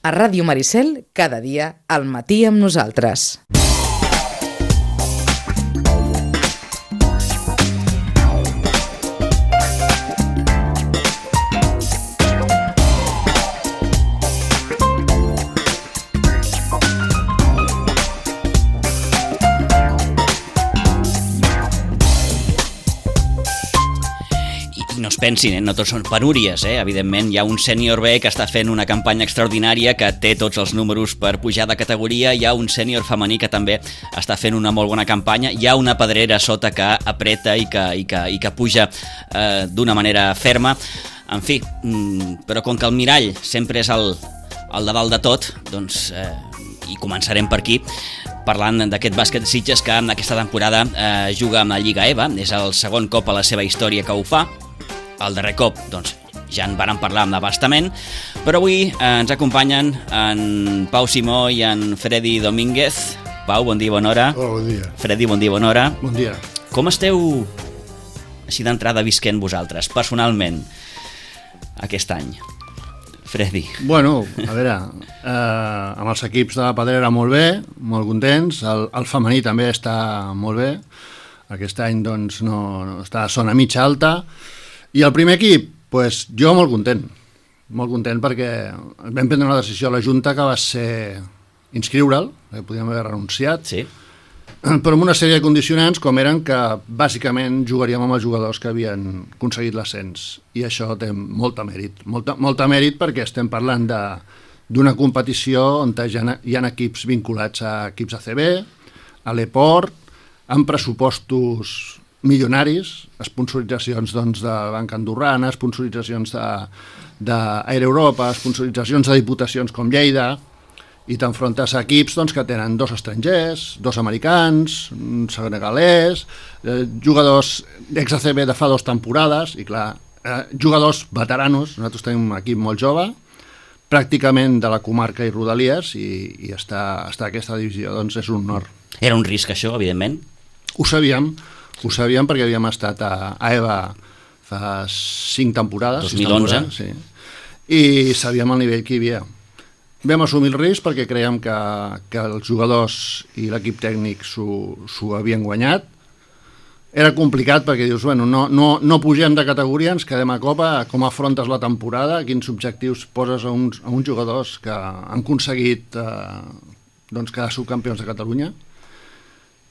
A Ràdio Maricel, cada dia, al matí amb nosaltres. No es pensin, no tots són penúries, evidentment hi ha un sènior B que està fent una campanya extraordinària, que té tots els números per pujar de categoria, hi ha un sènior femení que també està fent una molt bona campanya, hi ha una pedrera sota que apreta i que puja d'una manera ferma, en fi, però com que el mirall sempre és el de dalt de tot, doncs, i començarem per aquí, parlant d'aquest bàsquet Sitges que aquesta temporada juga amb la Lliga EVA, és el segon cop a la seva història que ho fa. El darrer cop, doncs, ja en vàrem parlar amb abastament, però avui ens acompanyen en Pau Simó i en Freddy Domínguez. Pau, bon dia, bona hora. Hola, bon dia. Freddy, bon dia, bona hora. Bon dia. Com esteu, així d'entrada, visquent vosaltres, personalment, aquest any? Freddy. Bueno, a veure, amb els equips de la Pedrera molt bé, molt contents, el femení també està molt bé, aquest any doncs no està a zona mitja alta, i el primer equip, doncs jo molt content perquè vam prendre una decisió a la Junta que va ser inscriure'l, que podíem haver renunciat, sí, però amb una sèrie de condicionants com eren que bàsicament jugaríem amb els jugadors que havien aconseguit l'ascens, i això té molt mèrit perquè estem parlant d'una competició on hi ha equips vinculats a equips ACB, a l'Eport, amb pressupostos milionaris, sponsoritzacions doncs, de Banca Andorrana, sponsoritzacions d'Air Europa, sponsoritzacions de diputacions com Lleida, i t'enfrontes a equips doncs, que tenen 2 estrangers, 2 americans, un senegalès, jugadors d'ex-ACB de fa 2 temporades, i clar, jugadors veteranos, nosaltres tenim un equip molt jove, pràcticament de la comarca i Rodalies, i estar a aquesta divisió doncs, és un honor. Era un risc això, evidentment? Ho sabíem perquè havíem estat a EVA fa 5 temporades. 2011. Sí. I sabíem el nivell que hi havia. Vam assumir el risc perquè creiem que els jugadors i l'equip tècnic s'ho havien guanyat. Era complicat perquè dius, bueno, no pugem de categoria, ens quedem a Copa, com afrontes la temporada, quins objectius poses a uns jugadors que han aconseguit quedar subcampions de Catalunya,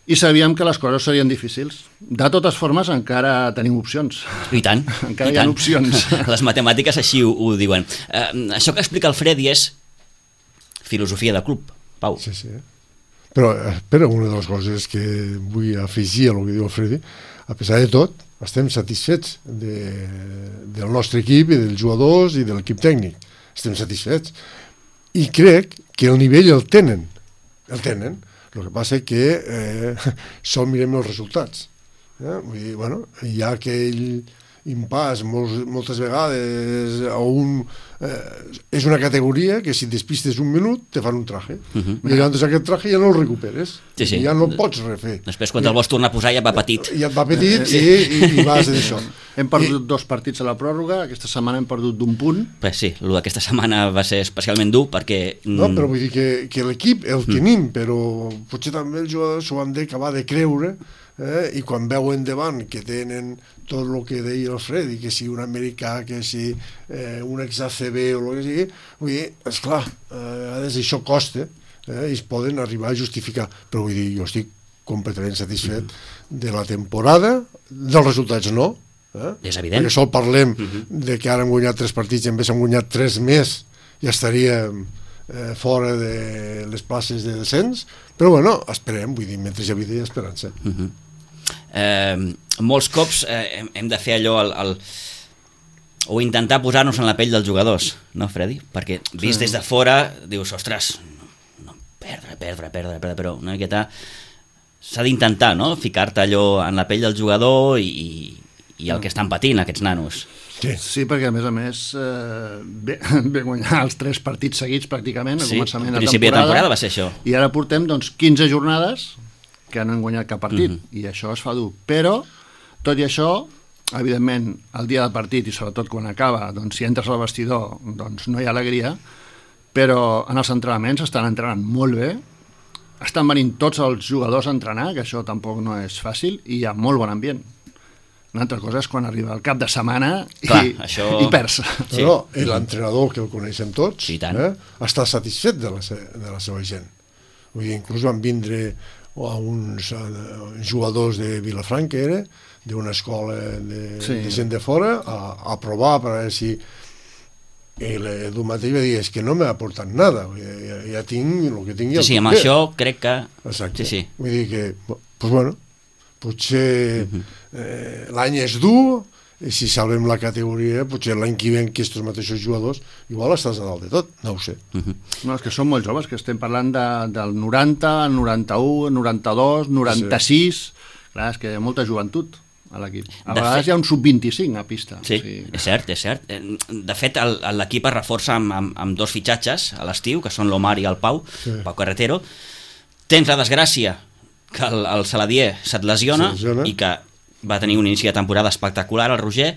i sabíem que les coses serien difícils. De totes formes, encara tenim opcions. I tant. Encara hi ha opcions. Les matemàtiques així ho diuen. Això que explica el Freddy és filosofia de club, Pau. Sí. Però una de les coses que vull afegir a el que diu el Freddy, a pesar de tot, estem satisfets del nostre equip i dels jugadors i de l'equip tècnic. Estem satisfets. I crec que el nivell el tenen. El que passa és que sol mirem els resultats. Vull dir, bueno, hi ha aquell impàs moltes vegades és una categoria que si et despistes un minut te fan un traje, i llavors aquest traje ja no el recuperes, sí. Ja no el pots refer. Després quan el vols tornar a posar ja va petit. Ja et va petit i vas d'això. Hem perdut 2 partits a la pròrroga, aquesta setmana hem perdut d'1 punt. Sí, el d'aquesta setmana va ser especialment dur perquè... No, però vull dir que l'equip el tenim, però potser també els jugadors s'ho han d'acabar de creure, i quan veuen davant que tenen tot el que deia el Freddy, que si un americà, que si un ex-ACB o el que sigui, vull dir, esclar, a vegades això costa, i es poden arribar a justificar, però vull dir, jo estic completament satisfet de la temporada, dels resultats no, és evident, perquè sol parlem de que ara hem guanyat 3 partits i en vez hem guanyat 3 més, ja estaríem fora de les places de descens, però bueno, esperem, vull dir, mentre hi ha vida hi ha esperança. Molts cops hem de fer allò o intentar posar-nos en la pell dels jugadors, no, Freddy? Perquè vist des de fora dius, ostres, no, perdre, però una miqueta s'ha d'intentar, no?, ficar-te allò en la pell del jugador i el que estan patint aquests nanos. Sí, perquè a més ve guanyar els 3 partits seguits pràcticament, al començament de principi de temporada va ser això. I ara portem 15 jornades que no han guanyat cap partit, i això es fa dur. Però, tot i això, evidentment, el dia del partit, i sobretot quan acaba, doncs, si entres al vestidor, doncs no hi ha alegria, però en els entrenaments estan entrenant molt bé, estan venint tots els jugadors a entrenar, que això tampoc no és fàcil, i hi ha molt bon ambient. Una altra cosa és quan arriba el cap de setmana i perds. Sí. No, l'entrenador, que el coneixem tots, està satisfet de la seva gent. Vull dir, inclús van vindre uns jugadors de Vilafranca, d'una escola de gent de fora, a provar per veure si... I l'Edu mateix va dir, és que no m'ha aportat nada, ja tinc el que tinc. Sí, amb això crec que... Exacte. Vull dir que, doncs bueno, potser l'any és dur, i si salvem la categoria, potser l'any que ve aquests mateixos jugadors igual estàs a dalt de tot, no ho sé. No, és que són molt joves, que estem parlant del 90, 91, 92, 96... Clar, és que hi ha molta joventut a l'equip. A vegades hi ha un sub-25 a pista. Sí, és cert. De fet, l'equip es reforça amb dos fitxatges a l'estiu, que són l'Omar i el Pau Carretero. Tens la desgràcia que el Saladier se't lesiona i que va tenir un inici de temporada espectacular, el Roger.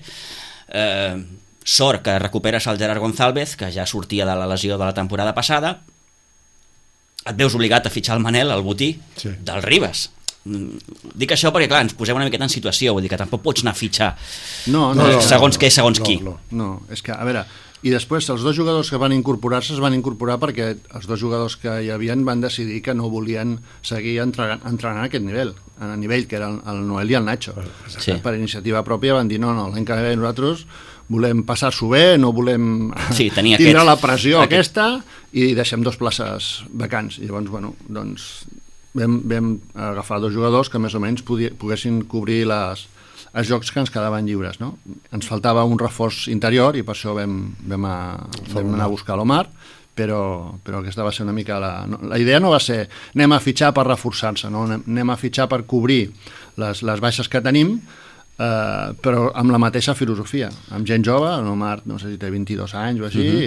Sort que recuperes el Gerard González, que ja sortia de la lesió de la temporada passada. Et veus obligat a fitxar el Manel, el botí, del Ribas. Dic això perquè, clar, ens posem una miqueta en situació, vull dir que tampoc pots anar a fitxar segons què, segons qui. No, és que, a veure, i després els dos jugadors que van incorporar-se es van incorporar perquè els dos jugadors que hi havien van decidir que no volien seguir entrenant a aquest nivell, a nivell que era el Noel i el Nacho. Per iniciativa pròpia van dir, no, l'any que ve nosaltres volem passar-s'ho bé, no volem tindre la pressió aquesta i deixem 2 places vacants. I llavors, bueno, doncs vam agafar 2 jugadors que més o menys poguessin cobrir els jocs que ens quedaven lliures, no? Ens faltava un reforç interior i per això vam anar a buscar l'Omar, però aquesta va ser una mica la idea. No va ser anem a fitxar per reforçar-se, no? Anem a fitxar per cobrir les baixes que tenim, però amb la mateixa filosofia, amb gent jove. L'Omar, no sé si té 22 anys o així,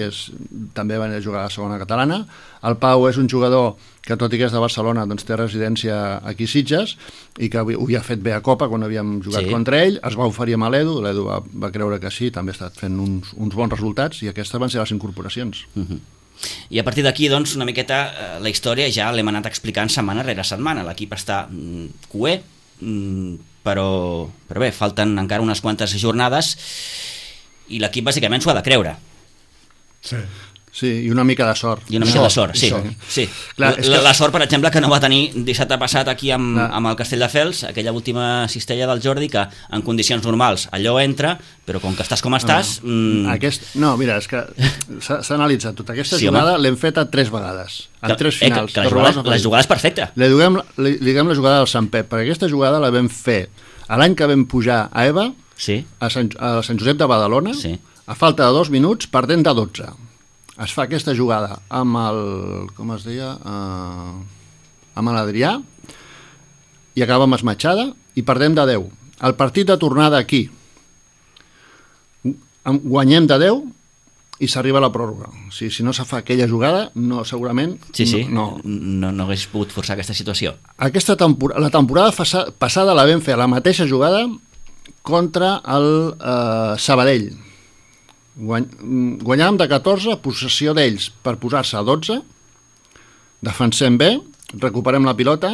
també va jugar a la segona catalana. El Pau és un jugador que, tot i que és de Barcelona, doncs té residència aquí a Sitges i que ho havia fet bé a Copa quan havíem jugat contra ell. Es va oferir amb l'Edu, l'Edu va creure que sí, també ha estat fent uns bons resultats i aquestes van ser les incorporacions. I a partir d'aquí, doncs, una miqueta la història ja l'hem anat explicant setmana rere setmana. L'equip està cué, però bé, falten encara unes quantes jornades i l'equip bàsicament s'ho ha de creure. Sí, i una mica de sort. I una mica de sort, sí. Clar, la sort, per exemple, que no va tenir dissabte passat aquí amb el Castelldefels, aquella última cistella del Jordi, que en condicions normals allò entra, però com que estàs com estàs... No, mira, és que s'ha analitzat tota aquesta jugada, l'hem feta 3 vegades, en 3 finals. La jugada és perfecta. Li diguem la jugada del Sant Pep, perquè aquesta jugada la vam fer l'any que vam pujar a EVA, a Sant Josep de Badalona, a falta de 2 minuts, perdent de 12. Es fa aquesta jugada amb com es deia, amb l'Adrià, i acaba amb esmatxada i perdem de 10. El partit de tornada aquí guanyem de 10 i s'arriba a la pròrroga. Si no se fa aquella jugada, segurament no hagués pogut forçar aquesta situació. La temporada passada la vam fer la mateixa jugada contra el Sabadell. Guanyàvem de 14, possessió d'ells per posar-se a 12, defensem bé, recuperem la pilota,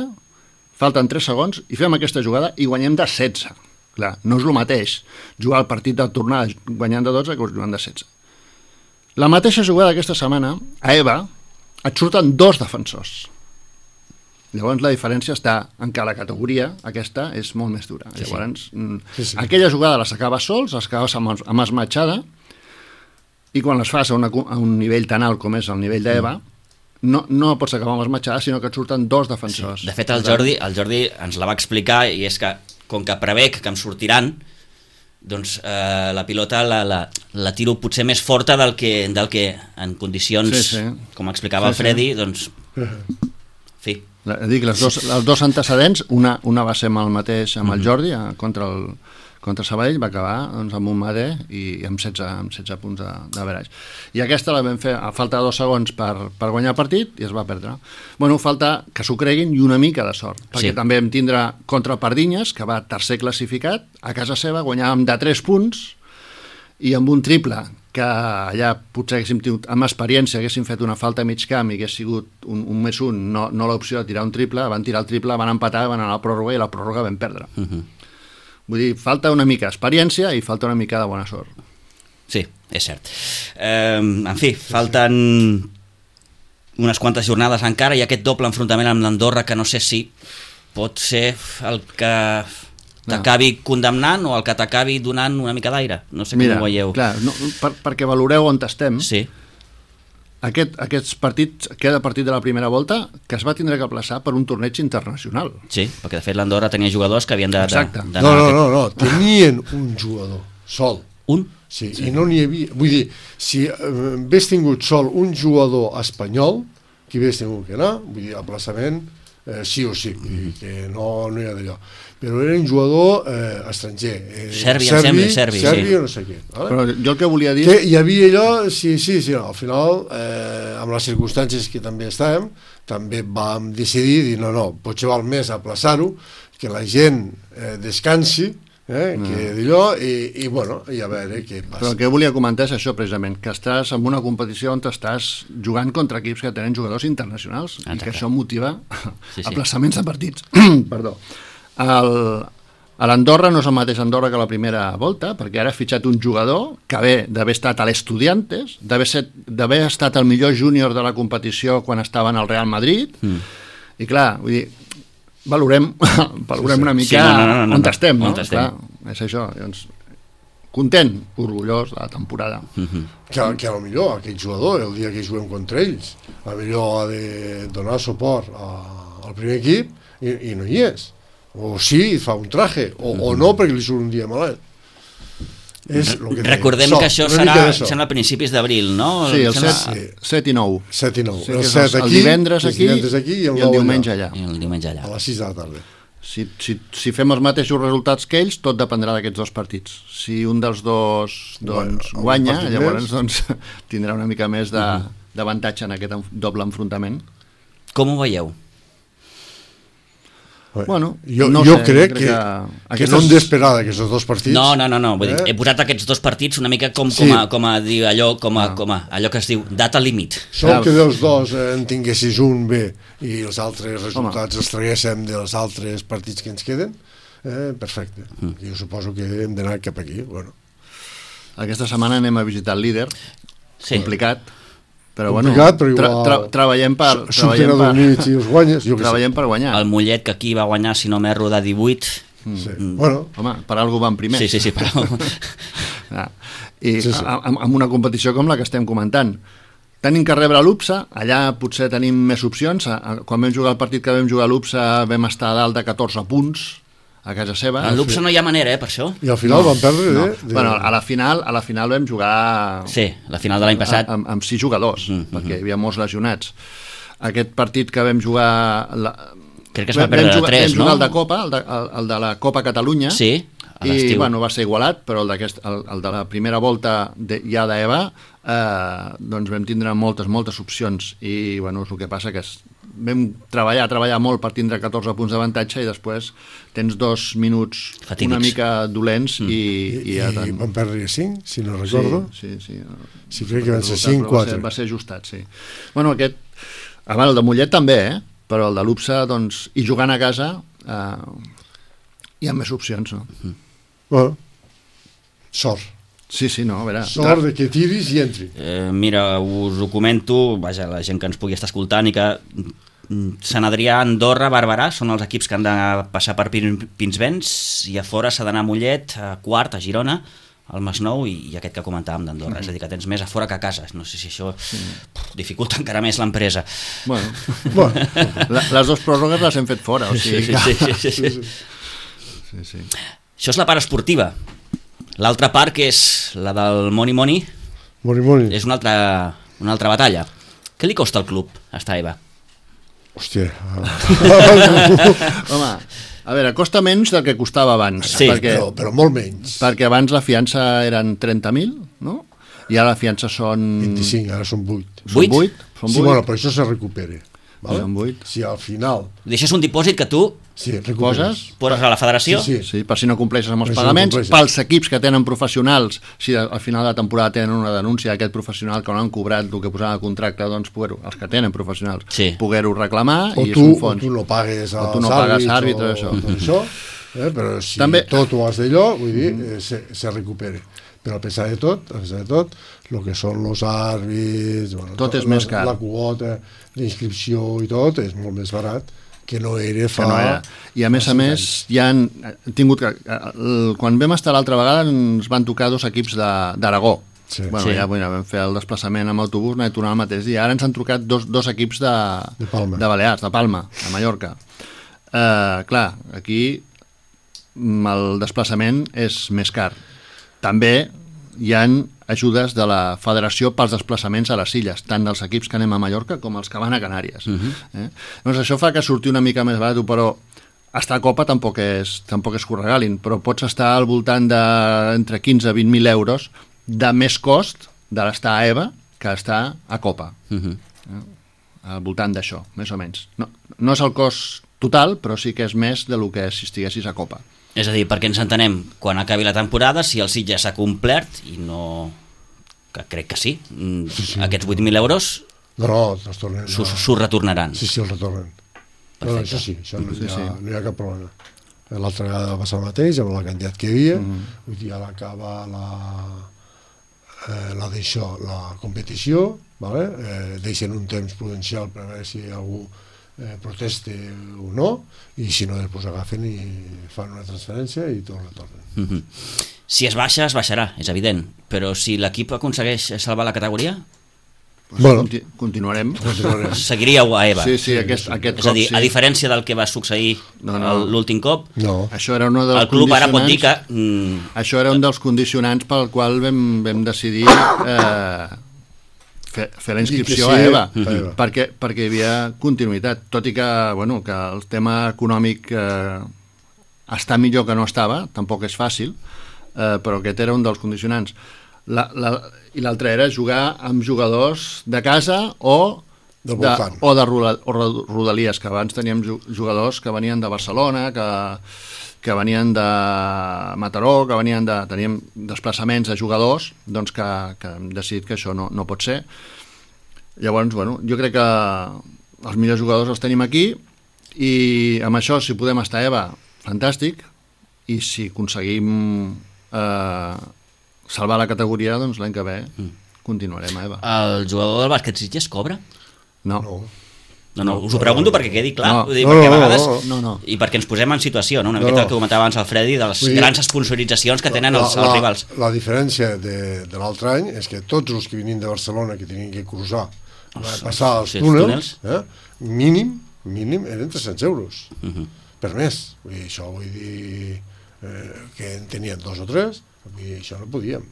falten 3 segons i fem aquesta jugada i guanyem de 16. Clar, no és el mateix jugar el partit de tornada guanyant de 12 que jugant de 16. La mateixa jugada aquesta setmana a EVA et surten 2 defensors. Llavors la diferència està en que la categoria aquesta és molt més dura. Llavors aquella jugada la sacabes sols, les acabes amb esmatxada, i quan les fas a un nivell tan alt com és el nivell d'EVA, no pots acabar amb esmatxada, sinó que et surten 2 defensors. De fet, el Jordi ens la va explicar, i és que, com que prevec que em sortiran, doncs la pilota la tiro potser més forta del que en condicions, com explicava el Freddy, doncs... fi. Dic, els dos antecedents, una va ser amb el mateix, amb el Jordi, contra Sabadell, va acabar amb un Madé i amb 16 punts d'average. I aquesta la vam fer a falta de 2 segons per guanyar el partit i es va perdre. Bueno, falta que s'ho creguin i una mica de sort, perquè també vam tindre contra el Pardinyes, que va tercer classificat, a casa seva guanyàvem de 3 punts i amb un triple que allà potser haguéssim tingut, amb experiència, haguéssim fet una falta a mig camp i hagués sigut un més un, no l'opció de tirar un triple, van tirar el triple, van empatar, van anar a la pròrroga i la pròrroga vam perdre. Vull dir, falta una mica d'experiència i falta una mica de bona sort. Sí, és cert. En fi, falten unes quantes jornades encara i aquest doble enfrontament amb l'Andorra que no sé si pot ser el que t'acabi condemnant o el que t'acabi donant una mica d'aire. No sé com ho veieu. Clar, perquè valoreu on estem. Sí. Aquests partits, queda partit de la primera volta que es va tindre que plaçar per un torneig internacional. Sí, perquè de fet l'Andorra tenia jugadors que havien d'anar... No, tenien un jugador sol. Un? Sí, i no n'hi havia... Vull dir, si hagués tingut sol un jugador espanyol, que hagués tingut que anar, vull dir, aplaçament sí o sí, vull dir, que no hi ha d'allò. Però era un jugador estranger. Serbi, no sé què. Vale? Però jo el que volia dir... Que hi havia allò, sí, no, al final, amb les circumstàncies que també estàvem, també vam decidir, no, potser val més aplaçar-ho, que la gent descansi, que d'allò, i bueno, i a veure què passa. Però el que volia comentar és això, precisament, que estàs en una competició on estàs jugant contra equips que tenen jugadors internacionals. Exacte. I que això motiva aplaçaments de partits. Perdó. A l'Andorra no és el mateix Andorra que la primera volta, perquè ara ha fitxat un jugador que ve d'haver estat a l'Estudiantes, d'haver estat el millor júnior de la competició quan estava en el Real Madrid, i clar, vull dir, valorem una mica on estem, no? Clar, és això, doncs, content, orgullós de la temporada. Que a lo millor aquest jugador, el dia que juguem contra ells, a lo millor ha de donar suport al primer equip i no hi és. O sí, fa un traje, o no, perquè li surt un dia malalt. Recordem que això serà, sembla, a principis d'abril, no? Sí, el 7 i 9. 7 i 9. Sí, el divendres aquí i el diumenge allà. A les 6 de la tarda. Si fem els mateixos resultats que ells, tot dependrà d'aquests dos partits. Si un dels dos guanya, llavors tindrà una mica més d'avantatge en aquest doble enfrontament. Com ho veieu? Bueno, jo crec que no hem d'esperar d'aquests dos partits. No. Vull dir, he posat aquests dos partits una mica com a dir allò que es diu data límit. Sol que dels dos en tinguessis un bé i els altres resultats els traguéssim dels altres partits que ens queden, perfecte. Jo suposo que hem d'anar cap aquí. Bueno. Aquesta setmana anem a visitar el líder, complicat, però bueno, treballem per guanyar. El Mollet, que aquí va guanyar, si no m'erro, de 18. Bueno, home, per algú van primers. Sí, però... I amb una competició com la que estem comentant, tenim que rebre l'UPSA, allà potser tenim més opcions. Quan vam jugar el partit que vam jugar a l'UPSA vam estar a dalt de 14 punts a casa seva. A l'UPSA no hi ha manera, per això. I al final van perdre, Bueno, a la final vam jugar... Sí, la final de l'any passat. Amb 6 jugadors, perquè hi havia molts lesionats. Aquest partit que vam jugar... Crec que es va perdre de 3, no? Vam jugar el de Copa, el de la Copa Catalunya. Sí, a l'estiu. I, bueno, va ser igualat, però el de la primera volta ja d'EVA, doncs vam tindre moltes opcions. I, bueno, és el que passa que vam treballar molt per tindre 14 punts d'avantatge i després tens 2 minuts fatídics, una mica dolents i van perdre 5, si no recordo. Sí. Sí, crec que van ser 5-4. Va ser ajustat, sí. Bueno, el de Mollet també, però el de l'UPSA, doncs, i jugant a casa hi ha més opcions, no? Bueno, sort. Sí, no, a veure... Sort de que tiris i entri. Mira, us ho comento, vaja, la gent que ens pugui estar escoltant, i que Sant Adrià, Andorra, Barberà són els equips que han de passar per Pinsbens, i a fora s'ha d'anar a Mollet, a Quart, a Girona, al Masnou i aquest que comentàvem d'Andorra. És a dir, que tens més a fora que a casa. No sé si això dificulta encara més l'empresa. Bueno, les dues pròrrogues les hem fet fora, o sigui... Sí. Això és la part esportiva. L'altra part, que és la del Money, és una altra batalla. Què li costa al club estar a EVA? Hòstia. Home, a veure, costa menys del que costava abans. Sí, però molt menys. Perquè abans la fiança eren 30.000, no? I ara la fiança són... 25, ara són 8. Són 8? Sí, bueno, però això se recupera. vale? Són 8. Si al final... Deixes un dipòsit que tu poses a la federació? Sí, per si no compleixes amb els pagaments. Pels equips que tenen professionals, si al final de la temporada tenen una denúncia d'aquest professional que no han cobrat el que posava el contracte, doncs els que tenen professionals, poder-ho reclamar i és un fons. O tu no pagues als àrbitres o tot això, però si també... tot ho has d'allò, vull dir, se recupera. Però a pesar de tot, el que són els àrbits, tot és més car. La quota, la inscripció i tot, és molt més barat que no era fa... I a més, ja han tingut que... Quan vam estar l'altra vegada ens van tocar 2 equips d'Aragó. Ja vam fer el desplaçament amb autobús, no he tornat el mateix dia. Ara ens han trucat 2 equips de Balears, de Palma, a Mallorca. Clar, aquí el desplaçament és més car. També hi ha ajudes de la federació pels desplaçaments a les illes, tant dels equips que anem a Mallorca com els que van a Canàries. Doncs això fa que surti una mica més barat, però estar a Copa tampoc és que ho regalin, però pots estar al voltant d'entre 15 i 20.000 euros de més cost de l'estar a EVA que estar a Copa. Al voltant d'això, més o menys. No és el cost total, però sí que és més del que si estiguessis a Copa. És a dir, perquè ens entenem, quan acabi la temporada, si el Sitges s'ha complert, i no... que crec que sí, aquests 8.000 euros s'ho retornaran. Sí, els retornen. No, això sí, això no hi ha cap problema. L'altra vegada va passar el mateix, amb la quantitat que hi havia, vull dir, ara acaba la competició, deixen un temps prudencial per veure si algú proteste o no, i si no després agafen i fan una transferència i tot retornen. Si es baixa, es baixarà, és evident, però si l'equip aconsegueix salvar la categoria, continuarem. Seguiríeu a EVA. Sí, aquest és a dir, a diferència del que va succeir l'últim cop, això era una dels el club ara pot dir que... Això era un dels condicionants pel qual vam decidir fer la inscripció a EVA, perquè hi havia continuïtat, tot i que el tema econòmic està millor que no estava, tampoc és fàcil, però aquest era un dels condicionants. I l'altre era jugar amb jugadors de casa o de Rodalies, que abans teníem jugadors que venien de Barcelona, que venien de Mataró, teníem desplaçaments de jugadors, doncs que hem decidit que això no pot ser. Llavors, jo crec que els millors jugadors els tenim aquí i amb això, si podem estar a EVA, fantàstic, i si aconseguim salvar la categoria, doncs l'any que ve continuarem a EVA. El jugador del bàsquet Sitges cobra? No, us ho pregunto perquè quedi clar, perquè a vegades i perquè ens posem en situació, una miqueta el que comentava abans el Freddy, de les grans sponsoritzacions que tenen els rivals. La diferència de l'altre any és que tots els que venien de Barcelona que tenien que cruzar, passar els túnels, mínim eren 300 euros per mes. Això vull dir que en tenien 2 o 3, això no podíem.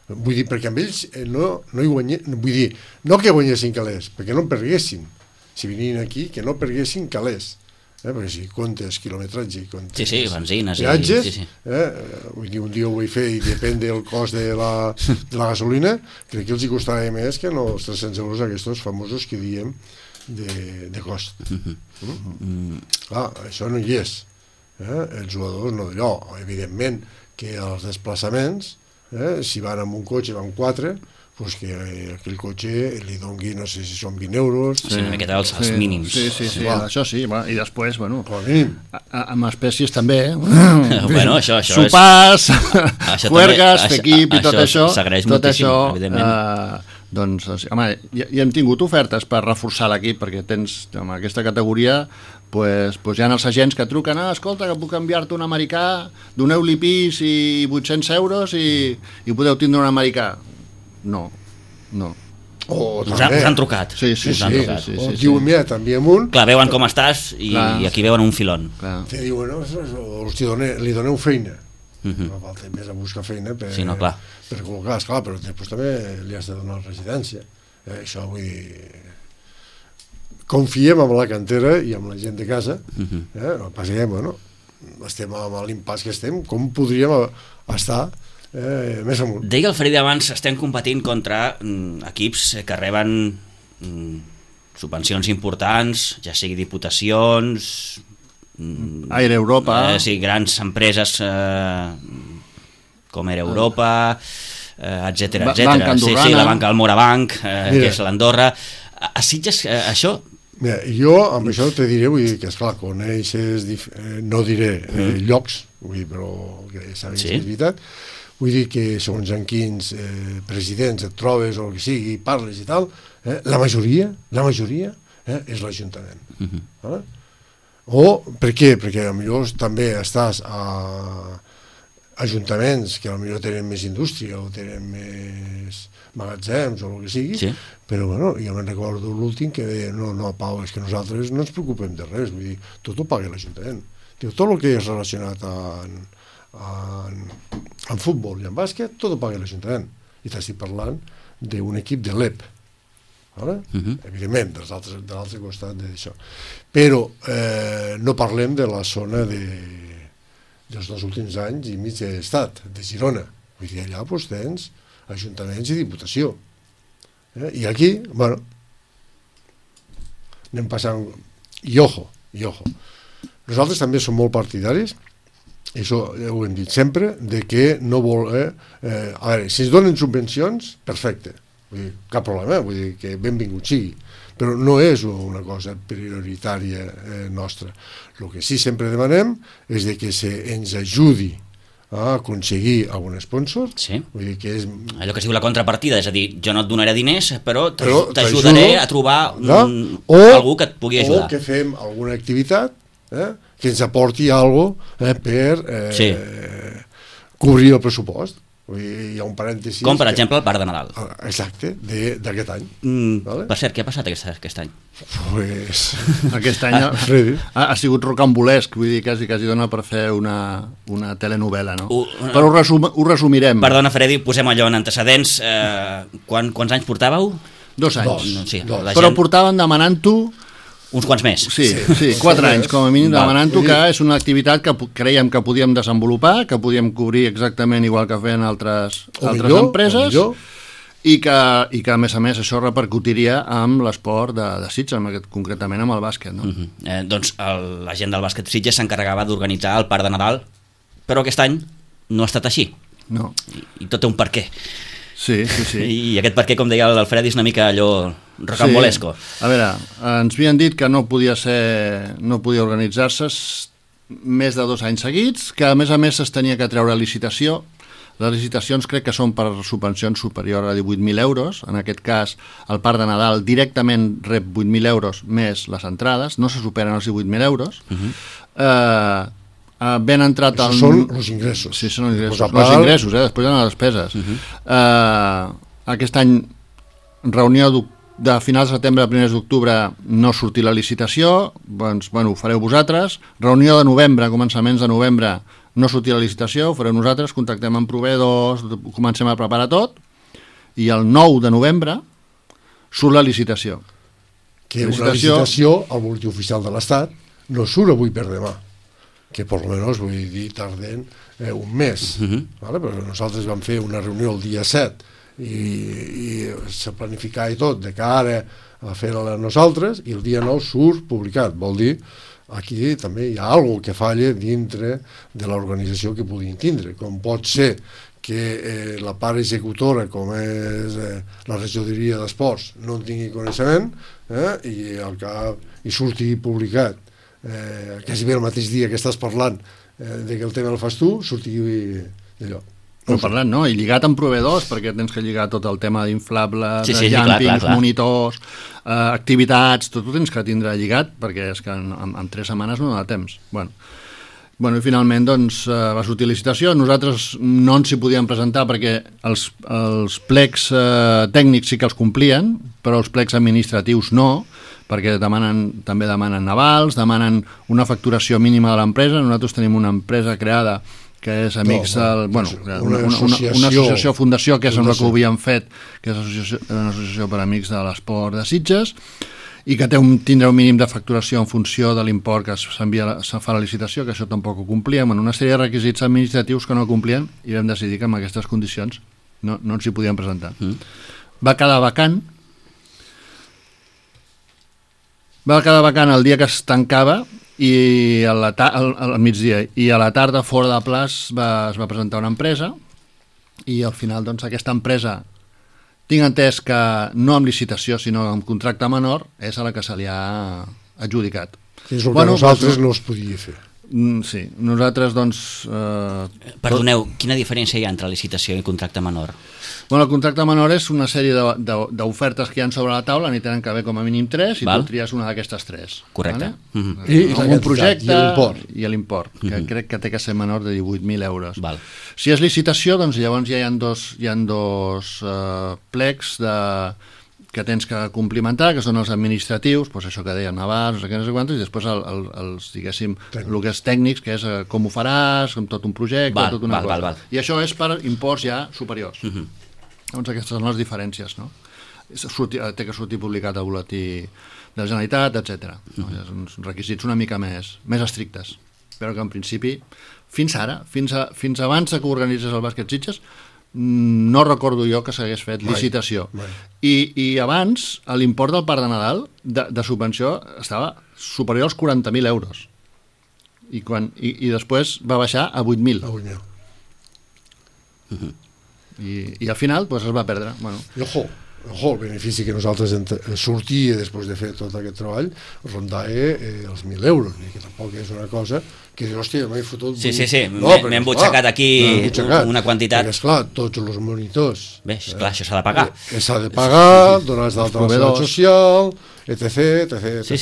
Vull dir, perquè amb ells no hi guanyessin, vull dir, no que guanyessin calés, perquè no en perguessin. Si venien aquí, que no perguessin calés. Perquè si comptes quilometratge i comptes benzines, viatges, vull dir, un dia ho vull fer i depèn del cost de la gasolina, crec que els hi costarà més que els 300 euros aquests famosos que diem de cost. Clar, això no hi és. Els jugadors no d'allò. Evidentment que els desplaçaments, si van amb un cotxe, van 4, doncs que aquell cotxe li dongui, no sé si són 20 euros... Sí, una miqueta els mínims. Sí, això sí, i després, amb espècies també, això sopars, juergues, fer equip i tot això, evidentment. Doncs, home, ja hem tingut ofertes per reforçar l'equip, perquè tens, en aquesta categoria, doncs hi ha els agents que truquen, escolta, que puc enviar-te un americà, doneu-li pis i 800 euros i podeu tindre un americà. No. Us han trucat. Sí. Diuen, mira, t'enviem un... Clar, veuen com estàs i aquí veuen un filon. Te diuen, li doneu feina. No falta més a buscar feina per col·locar, esclar, però després també li has de donar residència. Això vull dir... Confiem en la cantera i en la gent de casa, passem, estem amb l'impàs que estem, com podríem estar més amunt. Deia el Freddy abans, estem competint contra equips que reben subvencions importants, ja sigui diputacions... Aire Europa... Sí, grans empreses com Aire Europa, etcètera, etcètera. Banca Andorrana. Sí, la banca Almorabanc, que és l'Andorra. A Sitges, això... Mira, jo amb això te diré, vull dir que esclar, coneixes, no diré llocs, vull dir, però que sabis que és veritat, vull dir que segons en quins presidents et trobes o el que sigui, parles i tal, la majoria és l'Ajuntament. O, per què? Perquè potser també estàs a ajuntaments que potser tenen més indústria o tenen més magatzems o el que sigui, sí. Però bueno, jo me'n recordo l'últim que deia, no, Pau, és que nosaltres no ens preocupem de res, vull dir, tot ho paga l'Ajuntament. Tot el que és relacionat amb futbol i amb bàsquet, tot ho paga l'Ajuntament. I t'estic parlant d'un equip de l'EP, evidentment, de l'altre costat d'això. Però no parlem de la zona dels 2 últims anys i mig de l'estat, de Girona. Vull dir, allà tens ajuntaments i diputació. I aquí, bueno, anem passant... I ojo. Nosaltres també som molt partidaris, i això ho hem dit sempre, de que no vol... a veure, si es donen subvencions, perfecte, vull dir, cap problema, vull dir que benvingut sigui, però no és una cosa prioritària nostra. El que sí sempre demanem és de que ens ajudi a aconseguir algun sponsor. Sí. Vull dir que és... Allò que es diu la contrapartida, és a dir, jo no et donaré diners, però t'ajudaré a trobar algú que et pugui ajudar. O que fem alguna activitat que ens aporti alguna cosa per cobrir el pressupost. Vull dir, hi ha un parèntesi... Com, per exemple, el Parc de Nadal. Exacte, d'aquest any. Vale? Per cert, què ha passat aquest any? Pues... Aquest any ha sigut rocambolesc, vull dir, quasi dona per fer una telenovela, no? Però ho resumirem. Perdona, Freddy, posem allò en antecedents. Quants anys portàveu? 2 anys. Sí, però portaven demanant-ho... Uns quants més. Sí, 4 anys, com a mínim, demanant-ho, que és una activitat que creiem que podíem desenvolupar, que podíem cobrir exactament igual que feien altres empreses, i que, a més, això repercutiria amb l'esport de Sitges, concretament amb el bàsquet. No? Doncs la gent del bàsquet Sitges s'encarregava d'organitzar el Parc de Nadal, però aquest any no ha estat així. No. I tot té un per què. Sí. I aquest per què, com deia el Freddy, és una mica allò rocambolesco. Sí. A veure, ens havien dit que no podia organitzar-se més de 2 anys seguits, que a més es tenia que treure licitació. Les licitacions crec que són per subvencions superior a 18.000 euros. En aquest cas, el Parc de Nadal directament rep 8.000 euros més les entrades, no se superen els 18.000 euros. Ben entrat al... Són els ingressos. Sí, són els ingressos. Els ingressos, després hi ha les despeses. Aquest any, reunió de finals de setembre a primers d'octubre, no sortir la licitació, doncs, ho fareu vosaltres. Reunió de novembre, començaments de novembre, no sortir la licitació, ho fareu nosaltres, contactem amb proveïdors, comencem a preparar tot, i el 9 de novembre surt la licitació. Que una licitació al butlletí oficial de l'Estat no surt avui per demà, que per almenys, vull dir, tarden un mes, ¿vale? Però nosaltres vam fer una reunió el dia 7 i se planificava i tot de cara a fer-la nosaltres, i el dia 9 surt publicat. Vol dir, aquí també hi ha alguna que falla dintre de l'organització que podien tindre, com pot ser que la part executora, com és la regidoria d'esports, no en tingui coneixement i al cap i surti publicat quasi bé el mateix dia que estàs parlant de que el tema el fas tu, surti d'allò. No parlant, no? I lligat amb proveïdors, perquè tens que lligar tot el tema d'inflables, jàmpings, monitors, activitats, tot ho tens que tindre lligat, perquè és que en 3 setmanes no dona temps. Bueno, i finalment doncs, va sortir licitació. Nosaltres no ens hi podíem presentar perquè els plecs tècnics sí que els complien, però els plecs administratius no, perquè també demanen navals, demanen una facturació mínima de l'empresa. Nosaltres tenim una empresa creada que és Amics del... Bueno, una associació fundació, que és la que ho havíem fet, que és una associació per amics de l'esport de Sitges, i que tindrà un mínim de facturació en funció de l'import que se fa la licitació, que això tampoc ho complíem, en una sèrie de requisits administratius que no complien, i vam decidir que en aquestes condicions no ens hi podíem presentar. Va quedar vacant. Va quedar vacant, perquè, clar, no hi havia Va quedar vacant el dia que es tancava i al migdia, i a la tarda fora de plaç es va presentar una empresa i al final doncs aquesta empresa, tinc entès que no amb licitació sinó amb contracte menor, és a la que se li ha adjudicat. És el que nosaltres no es podia fer. Sí, nosaltres doncs... Perdoneu, quina diferència hi ha entre licitació i contracte menor? Bueno, el contracte menor és una sèrie d'ofertes que hi ha sobre la taula, n'hi tenen que haver com a mínim 3 i tu tries una d'aquestes 3. Correcte. Vale? I un projecte i l'import, que crec que té que ser menor de 18.000 euros. Val. Si és licitació, doncs llavors ja hi ha dos plecs que tens que complimentar, que són els administratius, doncs això que deia Navars, no sé quantos, i després els, diguéssim, el que és tècnics, que és com ho faràs, com tot un projecte, tot una cosa. Val. I això és per imports ja superiors. Llavors aquestes són les diferències, no? Té que sortir publicat al butlletí de la Generalitat, etc. Uns requisits una mica més estrictes, però que en principi, fins ara, fins abans que organitzés el bàsquet Sitges, no recordo jo que s'hagués fet licitació. I abans l'import del Parc de Nadal de subvenció estava superior als 40.000 euros i després va baixar a 8.000 i al final pues, es va perdre. I ojo, el benefici que nosaltres sortia després de fer tot aquest treball rondava els 1.000 euros, que tampoc és una cosa que dius, hòstia, m'he fotut... Sí, m'he embutxacat aquí una quantitat. Perquè, esclar, tots els monitors... Bé, esclar, això s'ha de pagar. S'ha de pagar, donar d'alta la seguretat social, etc. Sí.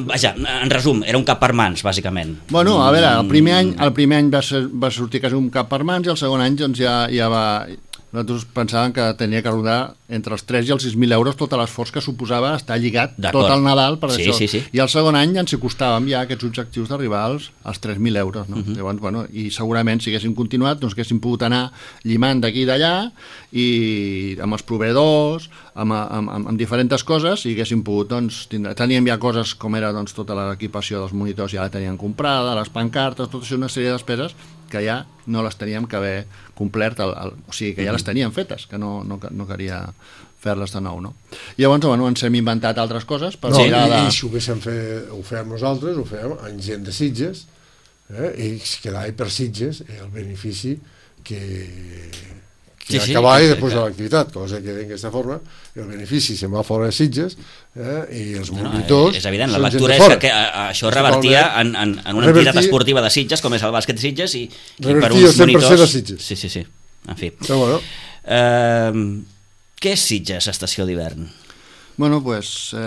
Vaja, en resum, era un cap per mans, bàsicament. Bueno, a veure, el primer any va sortir quasi un cap per mans i el segon any doncs, ja va... Nosaltres pensàvem que tenia que rodar entre els 3 i els 6.000 euros tot l'esforç que suposava estar lligat tot el Nadal per això. Sí. I el segon any ens hi costàvem ja aquests objectius d'arribar als 3.000 euros. No? Llavors, bueno, i segurament si haguéssim continuat doncs haguéssim pogut anar llimant d'aquí i d'allà i amb els proveïdors, amb diferents coses i haguéssim pogut doncs, teníem ja coses com era doncs, tota l'equipació dels monitors ja la teníem comprada, les pancartes, tot això, una sèrie de despeses que ja no les teníem que haver complert, o sigui, que ja les teníem fetes, que no calia fer-les de nou, no? I llavors, bueno, ens hem inventat altres coses per mirar de... I si ho fèiem nosaltres, ho fèiem amb gent de Sitges, i es quedava per Sitges el benefici que acabava després de l'activitat, cosa que d'aquesta forma el benefici se'n va fora de Sitges i els monitors... És evident, la lectura és que això revertia en una entitat esportiva de Sitges, com és el bàsquet Sitges, i per uns monitors... a Sitges. Sí. En fi. Però bueno. Què és Sitges, estació d'hivern? Bueno, doncs...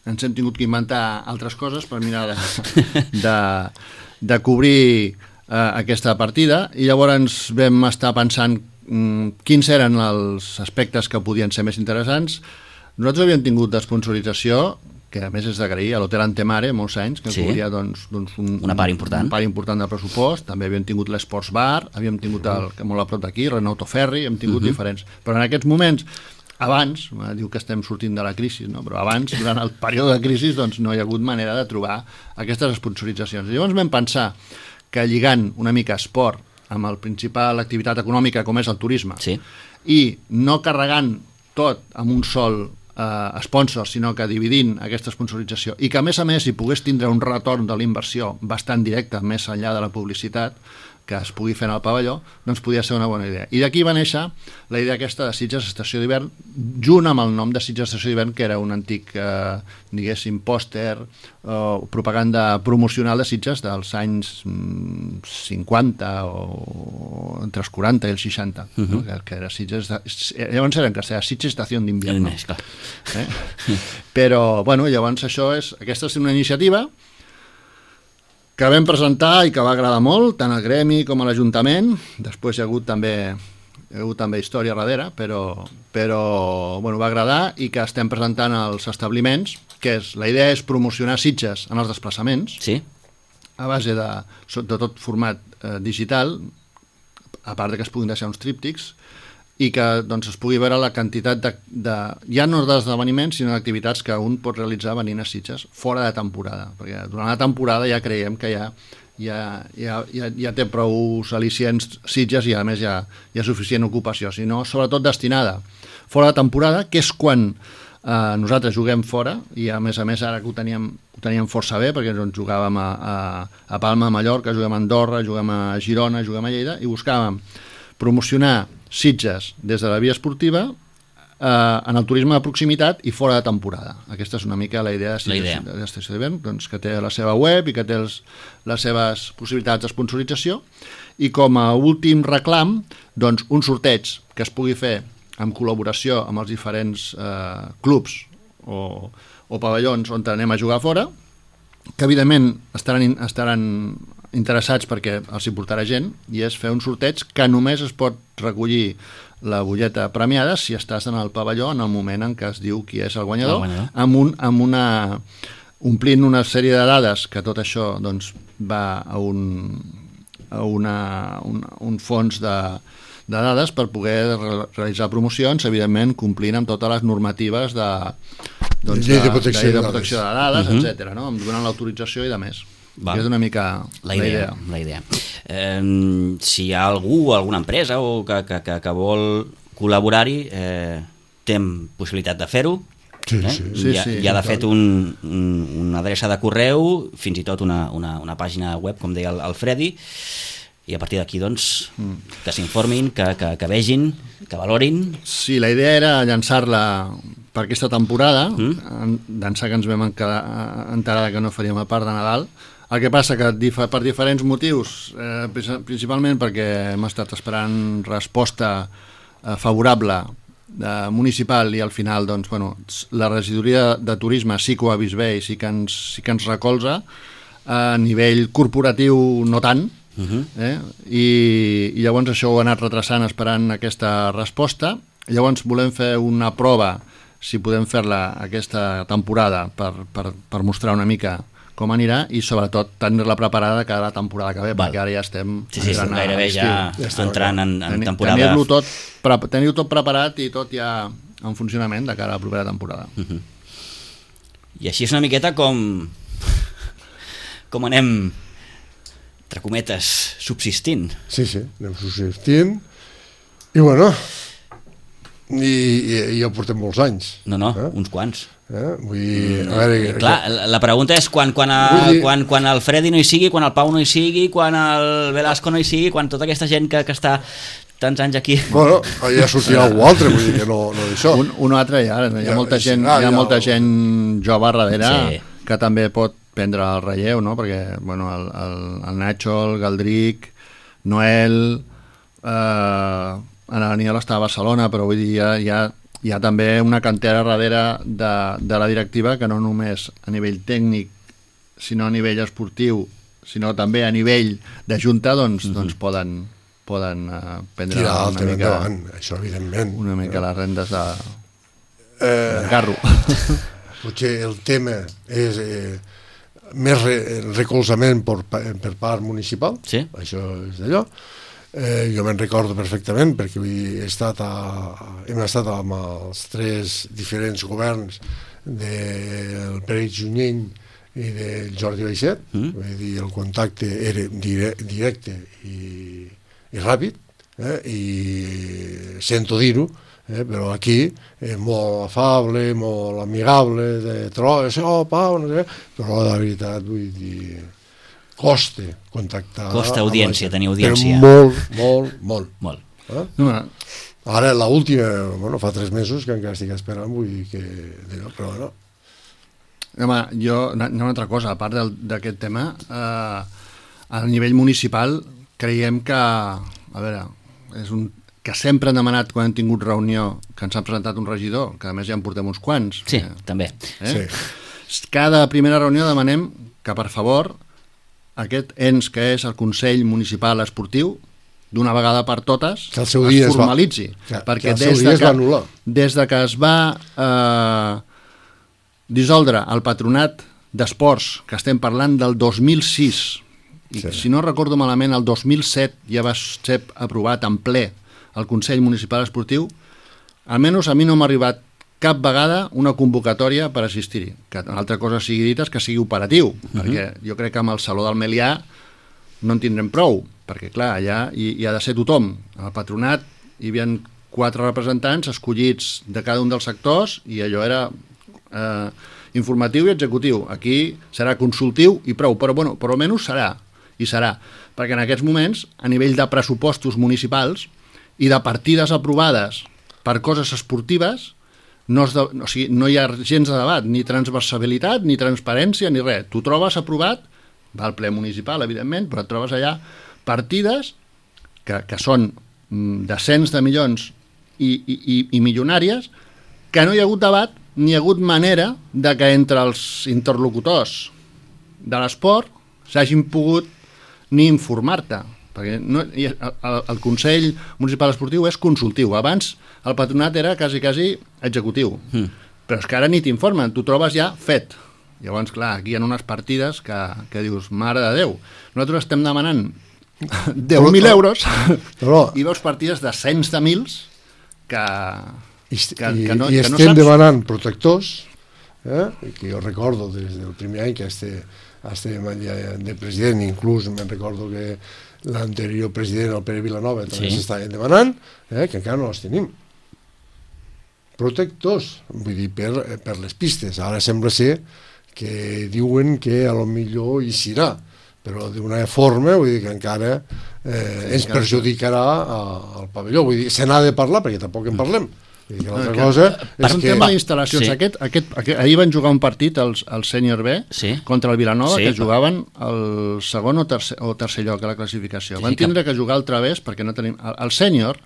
ens hem tingut que inventar altres coses per mirar de cobrir aquesta partida i llavors vam estar pensant quins eren els aspectes que podien ser més interessants. Nosaltres havíem tingut d'esponsorització, que a més és d'agrair, a l'Hotel Antemare molts anys, que ens cobria una part important del pressupost. També havíem tingut l'Esports Bar, havíem tingut molt a prop d'aquí, Renault Ferri, hem tingut diferents. Però en aquests moments, abans, diu que estem sortint de la crisi, no? Però abans, durant el període de crisi, doncs no hi ha hagut manera de trobar aquestes sponsoritzacions. I llavors vam pensar que lligant una mica esport amb el principal activitat econòmica com és el turisme i no carregant tot amb un sol sponsor, sinó que dividint aquesta sponsorització i que a més hi pogués tindre un retorn de la inversió bastant directe més enllà de la publicitat que es pugui fer en el pavelló, doncs podia ser una bona idea. I d'aquí va néixer la idea aquesta de Sitges Estació d'Hivern, junt amb el nom de Sitges Estació d'Hivern, que era un antic, diguéssim, pòster o propaganda promocional de Sitges dels anys 50 o entre els 40 i els 60, que era Sitges... Llavors eren que era Sitges Estació d'Hivern. Però, bueno, llavors aquesta és una iniciativa que vam presentar i que va agradar molt, tant al gremi com a l'Ajuntament. Després hi ha hagut també història darrere, però bueno, va agradar i que estem presentant als establiments, que la idea és promocionar Sitges en els desplaçaments, a base de tot format digital, a part que es puguin deixar uns tríptics, i que doncs, es pugui veure la quantitat ja no d'esdeveniments, sinó d'activitats que un pot realitzar venint a Sitges fora de temporada, perquè durant la temporada ja creiem que ja té prou al·licients Sitges i a més hi ha suficient ocupació, sinó sobretot destinada fora de temporada, que és quan nosaltres juguem fora i a més ara que ho teníem força bé perquè doncs, jugàvem a Palma, a Mallorca, juguem a Andorra, juguem a Girona, juguem a Lleida i buscàvem promocionar Sitges des de la via esportiva en el turisme de proximitat i fora de temporada. Aquesta és una mica la idea de l'Estació d'Hivern, doncs, que té la seva web i que té les seves possibilitats de sponsorització i com a últim reclam doncs, un sorteig que es pugui fer en col·laboració amb els diferents clubs o pavellons on anem a jugar fora, que evidentment estaran interessats perquè els hi portarà gent, i és fer un sorteig que només es pot recollir la butlleta premiada si estàs en el pavelló en el moment en què es diu qui és el guanyador, omplint una sèrie de dades que tot això doncs, va a un fons de dades per poder realitzar promocions, evidentment complint amb totes les normatives de protecció de dades, etc., no? Donant l'autorització i de més. És una mica la idea. Si hi ha alguna empresa o que vol col·laborar-hi, té possibilitat de fer-ho. Sí. Hi ha de fet una adreça de correu, fins i tot una pàgina web, com deia el Freddy, i a partir d'aquí doncs, que s'informin, que vegin, que valorin. Sí, la idea era llançar-la per aquesta temporada, d'ençà que ens vam enterar que no faríem a part de Nadal. El que passa que per diferents motius, principalment perquè hem estat esperant resposta favorable municipal i al final doncs, la regidoria de turisme sí que ho ha vist bé i sí que ens recolza, a nivell corporatiu no tant, i llavors això ho ha anat retrasant esperant aquesta resposta. Llavors volem fer una prova, si podem fer-la aquesta temporada, per mostrar una mica com anirà i sobretot tenir-la preparada de cara a la temporada que ve, perquè ara ja estem gairebé ja entrant en temporada. Tenir-ho tot preparat i tot ja en funcionament de cara a la propera temporada. I així és una miqueta com anem, entre cometes, subsistint. Sí, anem subsistint i bueno, i ja portem molts anys. Uns quants. Vull dir, a veure, clar, la pregunta és quan el Freddy no hi sigui, quan el Pau no hi sigui, quan el Velasco no hi sigui, quan tota aquesta gent que està tants anys aquí. Bueno, ja sortirà algú altre, vull dir que no d'això. Un altre hi ha molta gent jove darrere que també pot prendre el relleu, no? Perquè el Nacho, el Galdric, Noel, Aniol està a Barcelona, però vull dir hi ha també una cantera darrere de la directiva que no només a nivell tècnic, sinó a nivell esportiu, sinó també a nivell de junta, doncs poden prendre una mica endavant, això evidentment. Una mica les rendes de carro. Potser el tema és més recolzament per part municipal, això és d'allò. Jo me'n recordo perfectament perquè hem estat amb els 3 diferents governs del Pere Junyent i del Jordi Baixet, vull dir, el contacte era directe i ràpid, i sento dir-ho, però aquí és molt afable, molt amigable, de trobes, Pau, no sé, però la veritat, vull dir, costa contactar. Costa audiència, tenir audiència. Però molt. Ara, l'última, fa 3 mesos que encara estic esperant, vull dir que... Però no. Home, una altra cosa, a part d'aquest tema, a nivell municipal creiem que, a veure, que sempre han demanat quan hem tingut reunió que ens ha presentat un regidor, que a més ja en portem uns quants. Sí, també. Cada primera reunió demanem que, per favor, aquest ens que és el Consell Municipal Esportiu, d'una vegada per totes, es formalitzi. Perquè des de que es va dissoldre el patronat d'esports, que estem parlant del 2006, i si no recordo malament, el 2007 ja va ser aprovat en ple el Consell Municipal Esportiu, almenys a mi no m'ha arribat cap vegada una convocatòria per assistir-hi. Que una altra cosa sigui dita és que sigui operatiu, perquè jo crec que amb el Saló del Melià no en tindrem prou, perquè clar, allà hi ha de ser tothom. Al patronat hi havia 4 representants escollits de cada un dels sectors i allò era informatiu i executiu. Aquí serà consultiu i prou, però bueno, per almenys serà, i serà, perquè en aquests moments, a nivell de pressupostos municipals i de partides aprovades per coses esportives, o sigui, no hi ha gens de debat, ni transversalitat, ni transparència, ni res. Tu trobes aprovat, va al ple municipal, evidentment, però et trobes allà partides que són de cents de milions i milionàries, que no hi ha hagut debat ni hi ha hagut manera de que entre els interlocutors de l'esport s'hagin pogut ni informar-te, perquè el Consell Municipal Esportiu és consultiu. Abans el patronat era quasi executiu, però és que ara ni t'informen, tu trobes ja fet. Llavors, clar, aquí hi ha unes partides que dius, mare de Déu, nosaltres estem demanant 10.000 euros i veus partides de cents de mils que no estem saps. demanant protectors, que jo recordo des del primer any que estem de president, inclús me'n recordo que l'anterior president, el Pere Vilanova, també s'estaven demanant, que encara no els tenim. Protectors, vull dir, per les pistes. Ara sembla ser que diuen que a lo millor hi serà, però d'una forma, vull dir, que encara ens perjudicarà al pavelló. Vull dir, se n'ha de parlar, perquè tampoc en parlem. L'altra cosa per un tema d'instal·lacions, ahir van jugar un partit el sènior B contra el Vilanova, que jugaven el segon o tercer lloc a la classificació. Van tindre que jugar al través perquè no tenim... El sènior...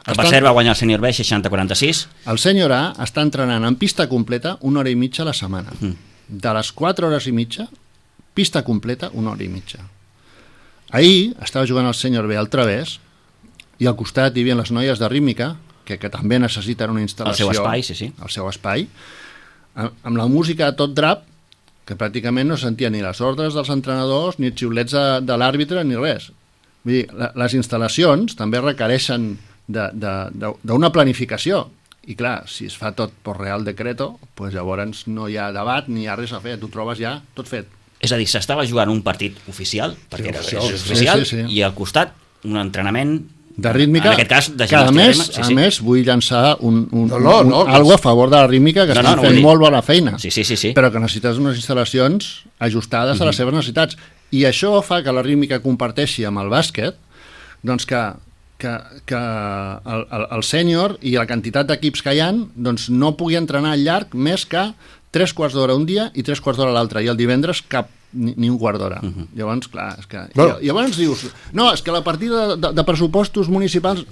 Que per cert va guanyar el sènior B 60-46. El sènior A està entrenant en pista completa 1 hora i mitja a la setmana. De les 4 hores i mitja, pista completa 1 hora i mitja. Ahir estava jugant el sènior B al través i al costat hi havia les noies de rítmica, que també necessiten una instal·lació. El seu espai, El seu espai. Amb la música a tot drap, que pràcticament no sentia ni les ordres dels entrenadors, ni els xiulets de l'àrbitre, ni res. Vull dir, les instal·lacions també requereixen d'una planificació. I clar, si es fa tot per Real Decreto, doncs llavors no hi ha debat ni hi ha res a fer, tu trobes ja tot fet. És a dir, s'estava jugant un partit oficial, perquè era oficial, i al costat un entrenament de rítmica, en aquest cas, de que a més vull llançar algo a favor de la rítmica, que estan fent molt bona feina, però que necessites unes instal·lacions ajustades a les seves necessitats, i això fa que la rítmica comparteixi amb el bàsquet, doncs que el sènior i la quantitat d'equips que hi ha doncs no pugui entrenar al llarg més que 3 quarts d'hora un dia i 3 quarts d'hora l'altre, i el divendres cap ni un quart d'hora. Llavors, clar, és que... Llavors dius, no, és que la partida de pressupostos municipals,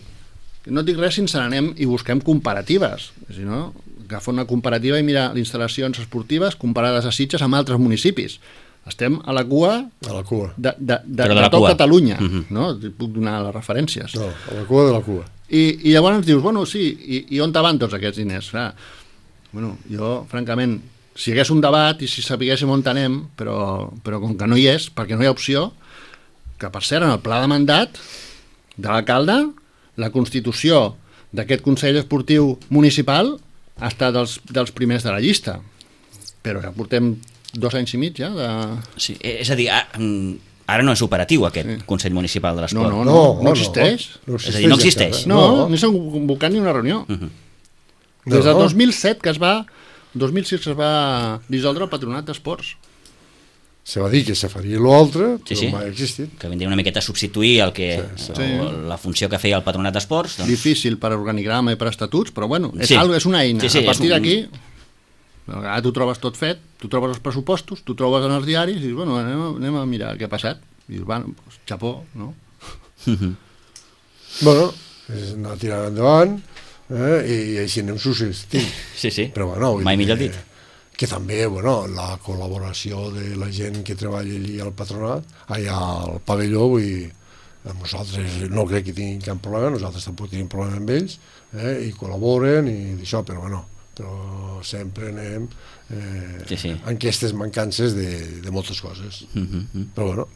no et dic res si ens n'anem i busquem comparatives. Si no, agafa una comparativa i mira les instal·lacions esportives comparades a Sitges amb altres municipis. Estem a la cua de tot Catalunya, no? Puc donar les referències. No, a la cua de la cua. I llavors dius, bueno, sí, i on van tots aquests diners? Bueno, jo, francament, si hi hagués un debat i si sapiguéssim on anem, però com que no hi és, perquè no hi ha opció, que per cert, en el pla de mandat de l'alcalde, la constitució d'aquest Consell Esportiu Municipal ha estat dels primers de la llista, però ja portem 2 anys i mig ja de... Sí, és a dir, ara no és operatiu aquest Consell Municipal de l'Esport. No existeix. És a dir, no existeix. No s'ha convocat ni una reunió. Des del 2007 que es va 2006 es va dissoldre el Patronat d'Esports. Se va dir que se faria l'altre, però mai ha existit. Que vindria una miqueta a substituir la funció que feia el Patronat d'Esports. Difícil per organigrama i per estatuts, però bueno, és una eina. A partir d'aquí, ara tu trobes tot fet, tu trobes els pressupostos, tu trobes en els diaris i dius, bueno, anem a mirar què ha passat. I dius, bueno, xapó, no? Bueno, és anar tirant endavant, i així anem subsistint. Però bueno, mai millor dit. Que també, bueno, la col·laboració de la gent que treballa allí al patronat, allà al pavelló, vull dir, nosaltres no crec que tinguin cap problema, nosaltres tampoc tenim problema amb ells, i col·laboren i això, però bueno, però sempre anem amb aquestes mancances de moltes coses. Però bueno,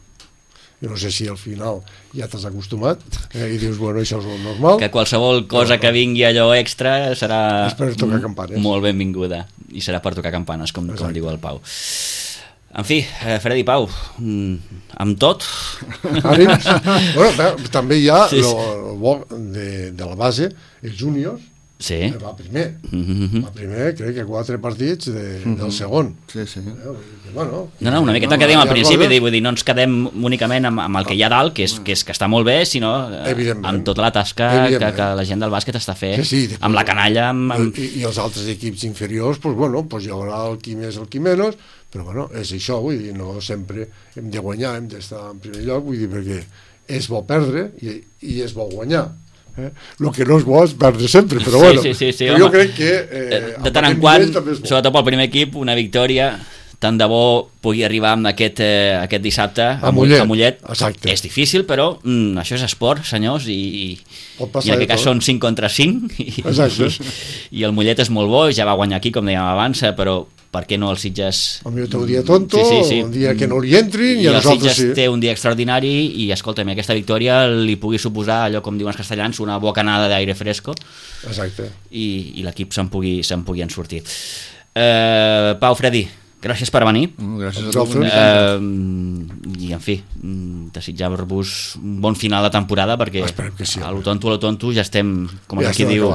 jo no sé si al final ja t'has acostumat i dius, bueno, això és el normal. Que qualsevol cosa que vingui allò extra serà per tocar campanes. Molt benvinguda i serà per tocar campanes, com diu el Pau. En fi, Freddy Pau, amb tot... Ànims. Bueno, també hi ha el bo de la base, els júniors, va primer. Va primer, crec que 4 partits del segon. Sí. No, una miqueta que dèiem al principi, vull dir, no ens quedem únicament amb el que hi ha dalt, que està molt bé, sinó amb tota la tasca que la gent del bàsquet està fent, amb la canalla... I els altres equips inferiors, doncs hi haurà el qui més, el qui menys, però bueno, és això, vull dir, no sempre hem de guanyar, hem d'estar en primer lloc, vull dir, perquè és bo perdre i és bo guanyar. El que no és bo és perdre sempre, però bueno, jo crec que de tant en quant, sobretot pel primer equip, una victòria, tant de bo pugui arribar amb aquest dissabte a Mollet. És difícil, però això és esport, senyors, i en aquest cas són 5 contra 5 i el Mollet és molt bo, ja va guanyar aquí, com dèiem abans, però per què no els Sitges... Potser té un dia tonto, un dia que no li entrin, i a nosaltres sí. I el Sitges té un dia extraordinari, i escolta'm, aquesta victòria li pugui suposar, allò com diuen els castellans, una bocanada d'aire fresco. Exacte. I l'equip se'n pugui en sortir. Pau, Freddy, gràcies per venir. Gràcies a tu. I, en fi, desitjar-vos un bon final de temporada, perquè a lo tonto ja estem, com aquí diu...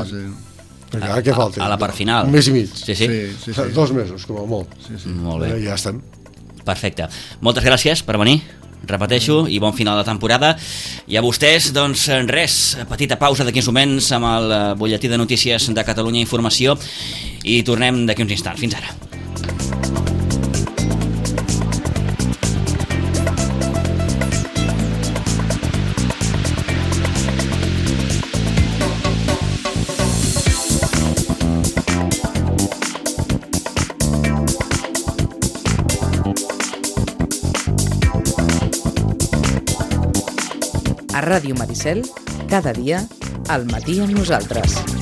Què falta? A la part final. Un mes i mig. Sí. 2 mesos, com a molt. Molt bé. Ja estem. Perfecte. Moltes gràcies per venir, repeteixo, i bon final de temporada. I a vostès, doncs res, petita pausa d'aquí uns moments amb el butlletí de notícies de Catalunya Informació i tornem d'aquí uns instants. Fins ara. A Ràdio Maricel, cada dia, al matí amb nosaltres.